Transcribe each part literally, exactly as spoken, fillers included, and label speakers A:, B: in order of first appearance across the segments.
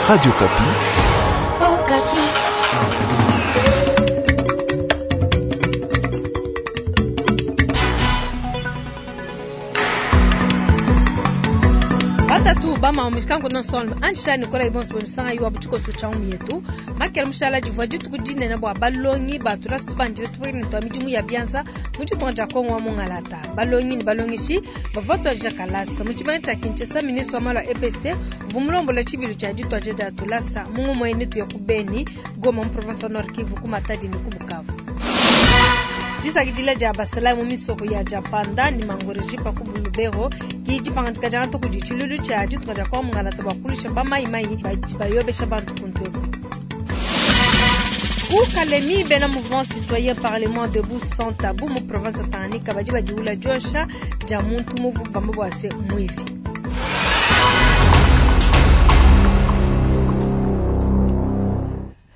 A: Radio Okapi.
B: Okapi.
C: Batatu bama mishikango non solme anjisha nikola ibonso bonisanga yiwa butshikoso tsha yetu makela mushala divua dituku dinene bua balongi batula situbandile tupwekene twa midimu ya bianza mu ditunga dia kongo wa mungalata balongi ne balongeshi bavua tuadija kalasa mu tshibanga tshia kinshasa ministre wa malu a E P S T uvua mulombola tshibilu tshia dituadija dia tulasa mu ngumu ene tuya ku Beni, Goma mu province wa Nord Kivu, ku Matadi ne ku Bukavu. Disakidila dia basalayi mu misoko ya Japanda ne Mangorejipa ku Lubero ki dipangadika dia ntuku di tshilulu tshia ditunga dia kwa mungalata bua kulusha bamayimayi badi bayobesha bantu kuntu eku. Ku Kalemi, bena mouvement citoyen parlement debout sans tabou mu province ya Tanganyika badi badiwula diosha dia muntu muvu bamba bua se muivi.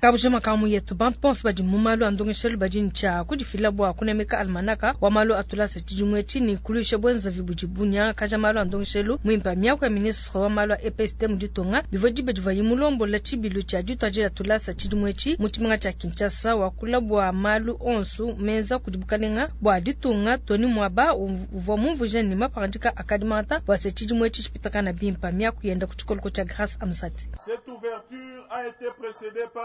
C: Kabujima kamu yetu bantu bonso badi mu malu a ndongeshelu badi ntshia kudifila bua kunemeka almanaka wa malu atulasa tshidimue tshini kuluisha bwenzavi budi bunyangakaja malu a ndongeshelu muimpe. Miaku ya ministre wa malu a E P S T mu ditunga bivua diba divuaye mulombola tshibilu tshia dituadija tulasa tshidimue etshi mu tshimenga tshia Kinshasa, wakula bua malu onso menza kudi bukalenga bua ditunga. Tony Mwaba uvua mumvuija ne mapangadika akadi mangata bua se tshidimue etshi tshipitakana bimpe. Miaku yenda ku tshikoloko tshia Grâce Amsati.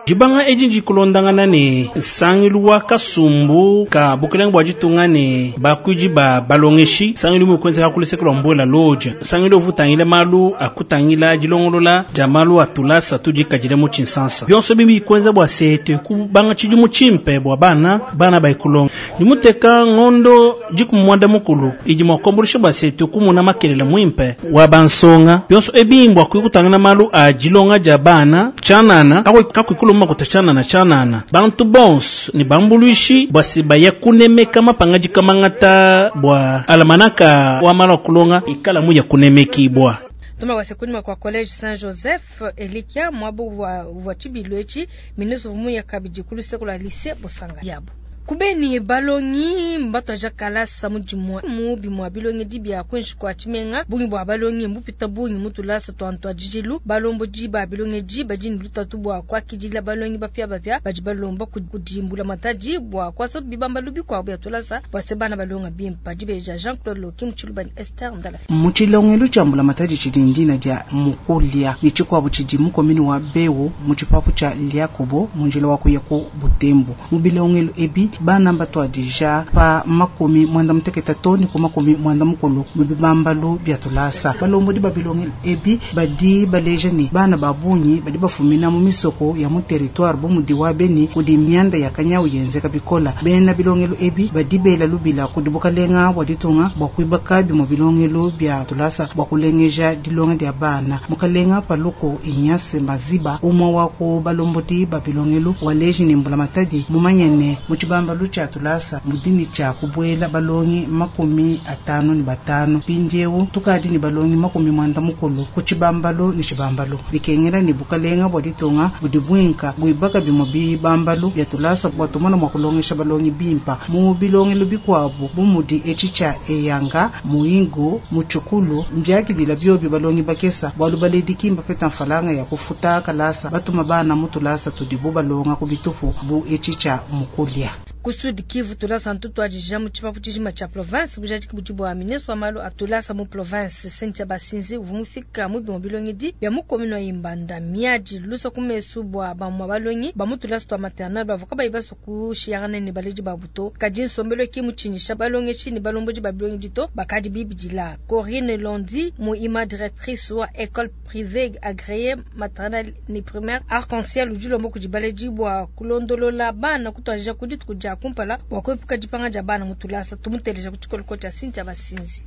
D: Dibanga edi ndikulondangana ne nsangilu wa kasumbu ka bukelenge bua ditunga ne bakuidi ba balongeshi. Nsangilu umue kuenzeka ku luseke lua mbuela loja, nsangilu uvua utangila malu akutangila dilongolola dia malu a tulasa tudikadile mu tshinsansa. Bionso bibi bikuenza bua se kubanga tshidimu tshimpe bua bana bana bayikulonga dimuteka ngondo dikumi muanda mukulu idi mua kuambuluisha bua se kumuna makelela muimpe wa bansonga. Bionso ebi mbua kuikutangila malu a dilonga dia bana tshianana kakuikuluma makuta tshianana tshianana. Bantu bonso ne bambuluishi bua se baya kunemeka mapangadika mangata bua alamanaka wa malu a kulonga ikala muya kunemekibwa.
C: Tuma wase kunyima kwa college Saint Joseph Elikia mwabo wa, wa tshibilu etshi ministre vumuya kabidi ku luseke lua lycée Bosanga yabo. Kubeni balongi mbatuadija kalasa mu dimue mu bimue bilongedi bia kuinshi kua tshimenga. Bungi bua balongi mbupita bungi mu tulasa tua ntuadijilu. Balombodi ba bilongedi badi ne lutatu bua kuakidila balongi bapiabapia badi balomba kudi mbulamatadi bua kuasa bibambalu bikuabu bia tulasa bua se bana balonga bimpe. Dibeja Jean Claude Loki mu Tshiluba ne Esther Ndala.
E: Mu tshilongelu tshia mbulamatadi tshidi ndina dia Mukulia ne tshikuabu tshidi mu komini wa Bewu mu tshipapu tshia Liakobo mu njila wa kuya ku Butembo. Mu bilongelu ebi bana batuadija pa makumi mwanda mutekete to ne ku makumi mwanda mukulu mu bibambalu bia tulasa. Balombodi ba bilongelu ebi badi baleja ne bana ba bungi badi bafumina mu misoko ya mu territoire bu mudi wa Beni kudi mianda ya kanyawu yenzeka bikola. Bena bilongelu ebi badi bela lubila kudi bukalenga bua ditunga bua kuibaka bimue bilongelu bia tulasa bua kulengeja dilonga dia bana. Mukalenga Paluku Ignace Maziba umwe wa ku balombodi ba bilongelu waleji ne mbulamatadi mumanye ne mu tshibambalu tshia tulasa mudini tshia kubuela balongi makumi atanu ne batanu. Mpindiewu tukadi ne balongi makumi mwanda mukulu ku tshibambalu ne tshibambalu. Bikengela ne bukalenga bua ditunga budi buinka buibaka bimue bibambalu bia tulasa bua tumona mua kulongesha balongi bimpa mu bilongelu bikuabu bu mudi etshi tshia Eyanga, Muingo, Muchukulu mbiakidila biobi balongi bakesa bualu baledi kimba peta mfalanga ya kufuta kalasa batuma bana mu tulasa tudibu balonga ku bitupu bu etshi tshia Mukulia.
C: Ku Sud Kivu tulasa ntutuadija mu tshipapu tshijima tshia province bujadiki budi bua ministre wa malu a tulasa mu province Cynthia Basinzi uvua mufika mu bimue bilongedi bia mu commune wa Imbanda miadi lusa ku mesu bua bamue balongi ba mu tulasa tua maternelle bavua kabayi basue kushiyangana ne baledi babu to. Kadi nsombelu ki mutshinyisha balongeshi ne balombodi ba bilongedi to bakadi bibidila. Corinne Londi muima directrice wa école privée agréée maternelle ne primaire Arc-en-Ciel udi ulomba kudi baledi bua kulondolola bana kutuadija ku dituku dia kumpala bua kuepuka dipanga dia bana mu tulasa. Tumuteleja ku tshikoloko tshia Cynthia Basinzi.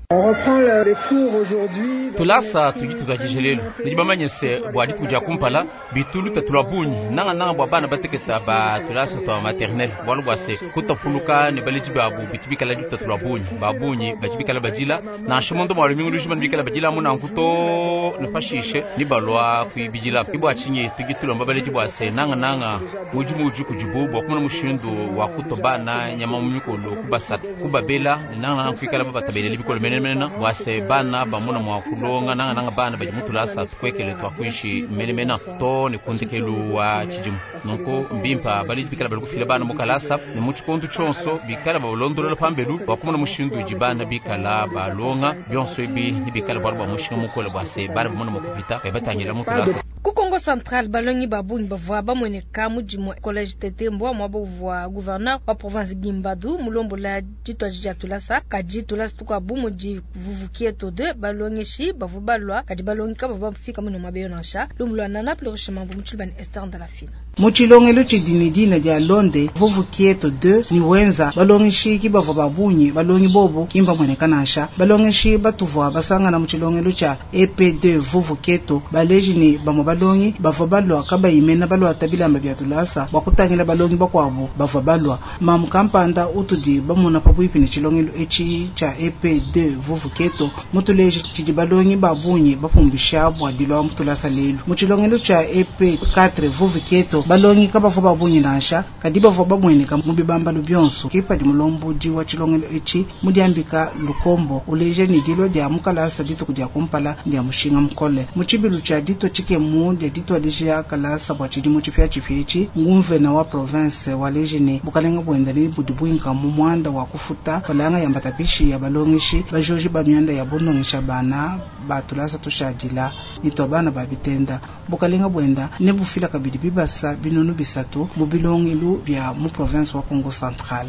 F: Tulasa tudi tutuadije lelu nudi bamanye se bua dituku dia kumpala bitulu tatu lua bungi nangananga bua bana bateketa ba tulasa tua maternelle bualu bua se kutapuluka ne baledi babu bitu bikala ditatu lua bungi ba bungi badi bikala badila nansha mondo mua lumingu lujima ne bikala badila mu nanku to ne pashishe ni balua kuibidila. Bua tshinyi tudi tulomba baledi bua se nangananga mudimu udi kudibu bua kumona mushindu wa kuta Kutua bana nyama mu mikolo, kubasaka, kubabela ne nangananga kuikala babatabelele bikole menemene bua se bana bamona mua kulonga, nangananga bana badi mu tulasa tukwekele tua kuinshi menemene to ne ku ndekelu wa tshidimu. Nunku mbimpa baledi bikala bali kufila bana mu kalasa ne mu tshikondo tshionso bikala balondolola pambelu bua kumona mushindu udi bana bikala balonga. Bionso ebi ne bikala bualu bua mushinga mukole bua se bana bamona mua kupita babatangila mu tulasa.
C: Ku Kongo Central, balongi ba bungi bavua bamueneka mu dimue college Tetembwa muaba uvua gouverneur wa province Gimbadu mulombola dituaji dia tulasa. Kadi tulasa tukuabu mudi Vuvukieto deux balongeshi bavua balua, kadi balongi kabavua bafika muno muaba nansha. Lumu lua Nana Plurichement bu mu Tshilubani Esther Ndalafina.
E: Mu tshilongelo tshidi ne dina dia Londe Vuvukieto deux ni wenza balongeshi ki bavua ba bungi, balongi bobu ki mbamueneka nansha. Balongeshi batuvua basangana mu tshilongelo tshia E P deux Vuvukieto baleji ne bamue balongi bavua balua kabayimena baluata bilamba bia tulasa bua kutangila balongi bakuabu bavua balua. Mamu kampanda utudi bamona pabuipi ne tshilongelo etshi tshia E P deux Vuvukieto mutuleji tshidi balongi ba bungi bapumbisha bua dilua mu tulasa lelu. Mu tshilongelo tshia E P quatre Vuvukieto balongi kabavua ba bungi nansha, kadi bavua bamueneka mu bibambalu bionso. Ke padi mulombodi wa tshilongelo etshi mudiambika Lukombo uleja ne dilua dia mukalasa dituku dia kumpala dia mushinga mukole. Mu tshibilu tshia ditua tshikemu dia dituadija kalasa bua tshidimu tshipiatshipia etshi, nguvena wa province waleji ne bukalenga buenda ne budi buinka mu muanda wa kufuta falanga ya mbatapishi ya balongeshi bajoji ba mianda ya bundongesha bana ba tulasa tushadila ne tua bana ba bitenda. Bukalenga buenda ne bufila kabidi bibasa binunu bisatu mu bilongelu bia mu province wa Kongo Central.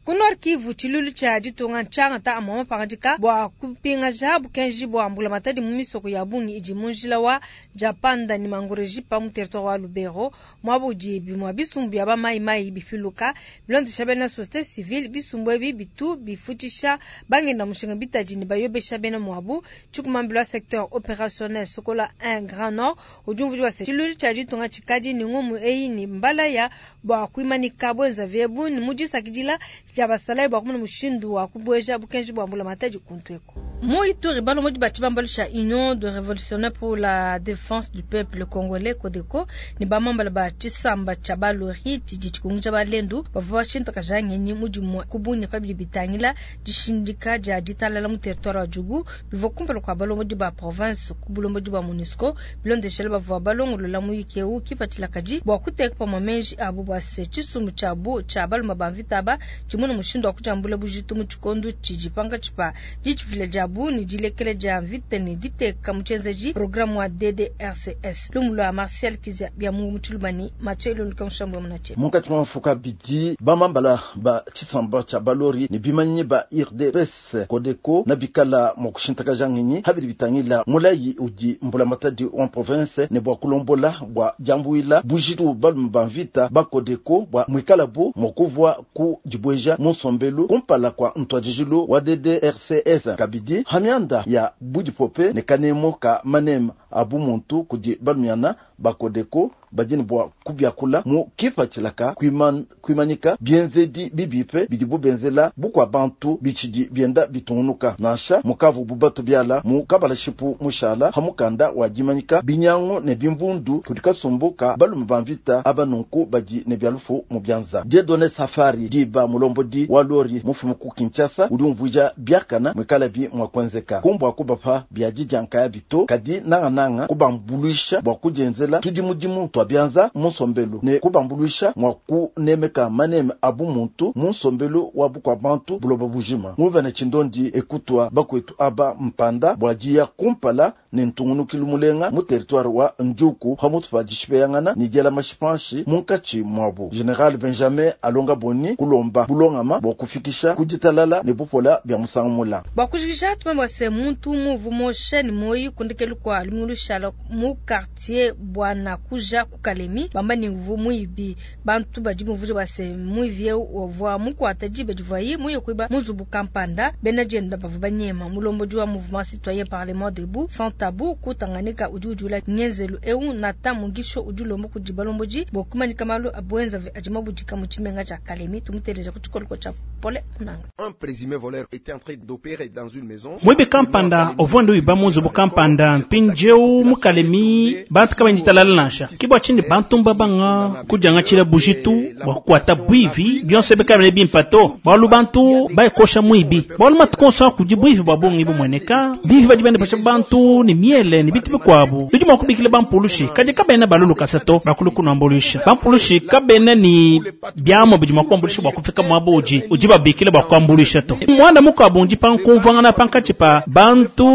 C: Ku Nord Kivu, tshilulu tshia ditunga ntshiangata amue mapangadika bua kupingaja bukenji bua mbulamatadi mu misoko ya bungi idi mu njila wa Japanda ne Mangurejipa mu territoire wa Lubero, muaba udi bimue bisumbu bia bamayimayi bifiluka bilondesha bena société civile. Bisumbu ebi bitu bifutshisha bangenda mushinga bitadi ne bayobesha bena muabu. Tshikumambila secteur opérationnel Sokola un Grand Nord udi umvuija se tshilulu tshia ditunga tshikadi ne ngumu eyi ne mbalaya bua kuimanika bwenza vyebu ne mudisakidila tshia basalayi bua kumona mushindu wa kubueja bukenji bua mbulamatadi kuntu eko. Mu Ituri, balomodi ba tshibambalu tshia Union de Révolutionnaire pour la Défense du Peuple Congolais Codeco ne bamambala ba tshisamba tshia balori tshidi tshikunguja balendu bavua bashintakaja ngenyi mu dimue ku bunya pabidi bitangila dishindika dia ditalala mu territoire wa Djugu bivua kumpala kua balomodi ba province ku bulombodi bua MONUSCO. Bilondeshela bavua balongolola muyiki eu kipatshila kadi bua kuteka pamue meji abu bua se tshisumbu tshiabu tshia balume ba mvita aba tshimuna mushindu wa kujambula bujitu mu tshikondo tshidi pankatshi pa ditshivila diabu ne dilekela dia mvita ne diteka mu tshienzeji programme wa D D R C S. Lumu lua Martial Kizia bia mu Tshilubani, Mathieu Elonduka Mushambu wa Munache.
A: Munkatshi mwa mafuka abidi, bamambala ba tshisamba tshia balori ne bimanyi ba I R D P S Codeco na bikala mua kushintakaja ngenyi habidi bitangila mulayi udi mbulamatadi wa province ne bua kulombola bua diambuila bujitu balume ba mvita ba Codeco bua muikalabu mua kuvua ku dibueja mu nsombelu kumpala kua ntuadijilu wa D D R C S. Kabidi hamianda ya budipope ne kanemo ka manema abu muntu kudi balumiana ba Codeco badi ne bua kubiakula mu kipatshilaka kuiman-, kuimanyika bienzedi bibipe bidibu benzela bukua bantu bitshidi bienda bitungunuka. Nansha mukavu bubatu biala mu kabalashipu mushala hamukanda wa dimanyika binyangu ne bimvundu kudi kasumbu ka balume ba mvita aba nunku badi ne bialufu mu bianza. Dieudonné Safari diba mulombodi wa lori mufumu ku Kinshasa udi umvuija biakana mwikalabi mua kuenzeka kumbua kubapa bia didianka bito kadi nangananga kubambuluisha bua kudienzela tudi mudimu twa bianza mu nsombelu ne kubambuluisha mua kunemeka maneme abu muntu mu nsombelu wa bukua bantu buloba bujima. Nguvene tshindondi ekutwa bakwetu aba mpanda bua diya kumpala ne ntungunukilu mulenga mu territoire wa Njuku hamutu pa dishipeyangana ne diela mashipanshi munkatshi muabu. General Benjamin Alonga Boni kulomba bulongama bua kufikisha kuditalala ne bupola bia musangu mula.
C: Bua kujikija tumambo se muntu muvu moshe ne moyi kundekelu kwa lumulu shala mu quartier bwana kuja kukalemi bamba ni mvu muibi bantu badi muvuja base muivi ovwa mukwata jibe divayi muyo kuiba muzubu kampanda bena jenda bavu banyema mulombodi wa mouvement citoyen parlement debout sans tabou ku Tanganyika udi ujula ngenzelu eu nata mugisho udi lombo kudi balomboji bokumanyika malu abwenza adima budika mu tshimenga tshia Kalemi tumuteleja ku tshikoloko tshia Pole Munanga.
G: Un présumé voleur était en train d'opérer dans une maison.
D: Mwebe kampanda ovwando iba muzubu kampanda mpinjeu eu mu Kalemi bantu kabayi ditalala nansha ke bua tshini bantu mbabanga kudiangatshila bujitu bua kukuata buivi bionso ebi kabene bimpa to bualu bantu bayikosha muibi bualu matuku onso akudi buivi bua bungi bumueneka bivi badi bende pasha bantu ne miele ne bitu bikuabu bidi mua kubikila bampulushi kadi kabena balulukasa to bakulu kunuambuluisha bampulushi kabena ni biamua bidi mua kuambuluisha bua kufika muaba udi udi babikila bua kuambuluisha to muanda mukuabu ndi pankumvuangana pankatshi pa bantu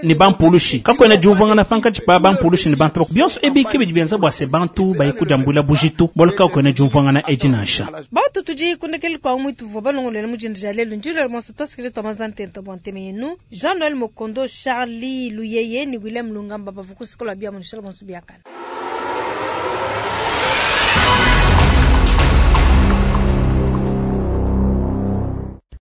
D: ne bampulushi kakuena diumvuangana pankatshi pa bampulushi ne bantu bionso ebi ke bidi bienza bua se bantu baye kudiambuila bujitu bualu kakuena diumvuangana edi nansha
C: Batu tudi kundekeli kwa mwitu vwa balongolele mujinda ja lelu njilo mwaso twasikile twa mazantenta bwa nteme yenu Jean Noël Mokondo Charlie Luyeye ni William Lungamba bavukusikola bia munishala bonso biakana.